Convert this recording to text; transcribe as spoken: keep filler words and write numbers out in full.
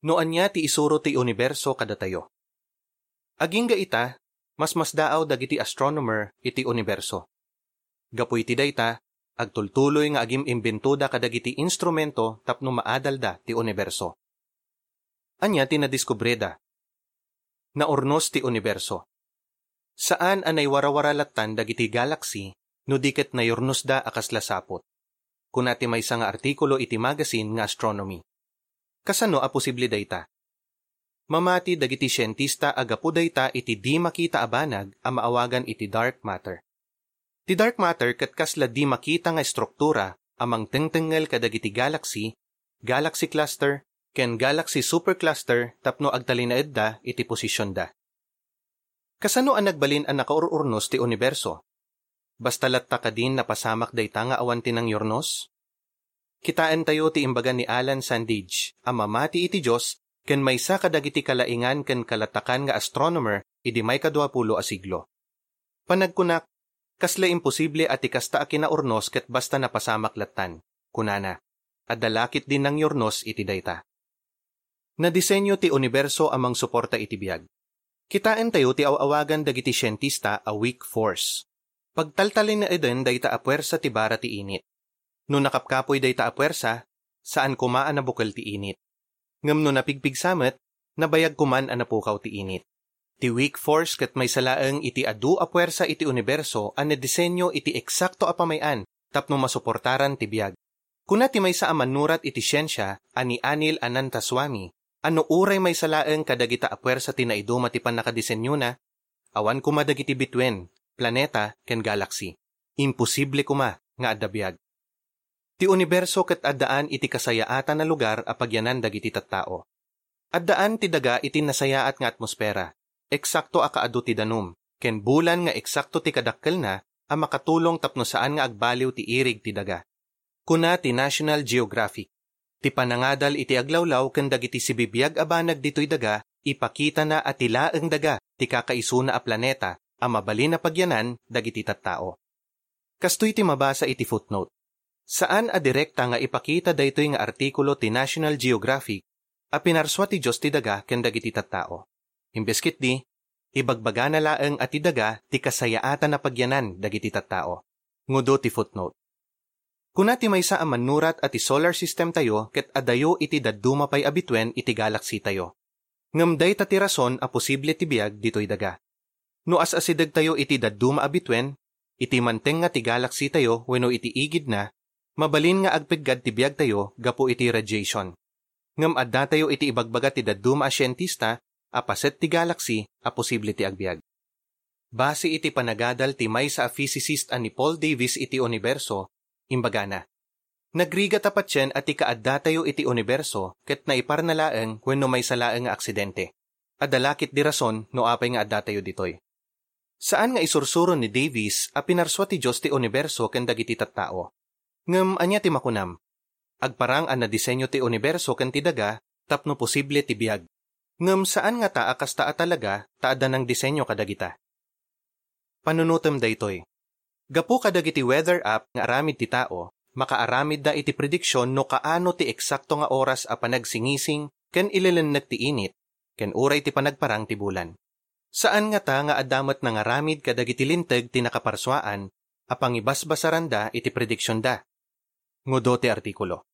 No ania ti isuro ti uniberso kadatayo. Agingga ita, masmasdaaw dagiti astronomer iti uniberso. Gapu iti dayta, agtultuloy nga agim-imbentoda kadagiti instrumento tapno maadalda ti uniberso. Ania ti nadiskubreda? Naurnos ti uniberso. Saan a naiwarawara lattan dagiti galaksi no di ket nayurnosda a kasla saput. Kuna ti maysa nga artikulo iti magasin nga Astronomy. Kasano a posible dayta? Mamati dagiti sientista a gapu dayta iti di makita a banag a maawagan iti dark matter. Ti dark matter ket kasla di makita nga estruktura a mangtengtengngel kadagiti galaksi, galaxy cluster, ken galaxy supercluster tapno agtalinaedda iti posisionda. Kasano a nagbalin a nakaur-urnos ti uniberso? Basta latta kadin napasamak dayta nga awan ti nangyurnos? Kitaentayo ti imbaga ni Alan Sandage a mamati iti Dios ken maysa kadagiti kalaingan ken kalatakan nga astronomer idi maikadua pulo a siglo. Panagkunak, kasla imposible a ti kasta a kinaurnos ket basta napasamak lattan, kunana. Adda la ketdi nangyurnos iti dayta. Nadisenyo ti uniberso a mangsuporta iti biag. Kitaentayo ti aw-awagan dagiti sientista a weak force. Pagtaltalinaeden dayta a puersa ti bara ti init. No nakapkapoy dayta a puersa, saan koma a nabukel ti init. Ngem no napigpigsa met, nabayag koman a napukaw ti init. Ti weak force ket maysa laeng iti adu a puersa iti uniberso a nadisenyo iti eksakto a pamay-an tapno masuportaran ti biag. Kuna ti maysa a mannurat iti siensia a ni Anil Ananthaswamy a no uray maysa laeng kadagita a puersa ti naiduma ti pannakadisenyona, awan koma dagiti bituen, planeta, ken galaksi. Imposible koma nga adda biag. Ti uniberso ket addaan iti kasayaatan a lugar a pagyanan dagiti tattao. Addaan ti daga iti nasayaat nga atmosfera, eksakto a kaadu ti danum, ken bulan nga eksakto ti kadakkelna a makatulong tapno saan nga agbaliw ti irig ti daga. Kuna ti National Geographic, ti panangadal iti aglawlaw ken dagiti sibibiag a banag ditoy daga, ipakitana a ti laeng daga ti kakaisuna a planeta a mabalin a pagyanan dagiti tattao. Kastoy ti mabasa iti footnote. Saan a direkta nga ipakita daytoy nga artikulo ti National Geographic a pinarsua ti Dios ti daga ken dagiti tattao. Imbes ketdi, ibagbagana laeng a ti daga ti kasayaatan a pagyanan dagiti tattao. Ngudo ti footnote. Kuna ti maysa a mannurat a ti solar system tayo ket adayo iti dadduma pay a bituen iti galaxy tayo. Ngem dayta ti rason a posible ti biag ditoy daga. No as-asidegtayo iti dadduma a bituen, iti manteng nga ti galaxy tayo wenno iti igidna, mabalin nga agpeggad ti biagtayo gapu iti radiation. Ngem addatayo iti ibagbaga ti dadduma a sientista a paset ti galaxy a posible ti agbiag. Base iti panagadal ti maysa a physicist a ni Paul Davies iti uniberso, imbagana, nagrigata patien a ti kaaddatayo iti uniberso ket naiparna laeng wenno maysa laeng nga aksidente. Adda la ketdi rason no apay nga addatayo ditoy. Saan nga isursuro ni Davies a pinarsua ti Dios ti uniberso ken dagiti tattao. Ngem ania ti makunam? Agparang a nadisenyo ti uniberso ken ti daga tapno posible ti biag. Ngem saan ngata a kasta a talaga ta adda nangdisenyo kadagita. Panunotem daytoy. Gapu kadagiti weather app nga aramid ti tao, makaaramidda iti prediksion no kaano ti eksakto nga oras a panagsingising ken ilelennek ti init, ken uray ti panagparang ti bulan. Saan ngata nga adda met nangaramid kadagiti linteg ti nakaparsuaan a pangibasbasaranda iti prediksionda. Ngudo ti artikulo.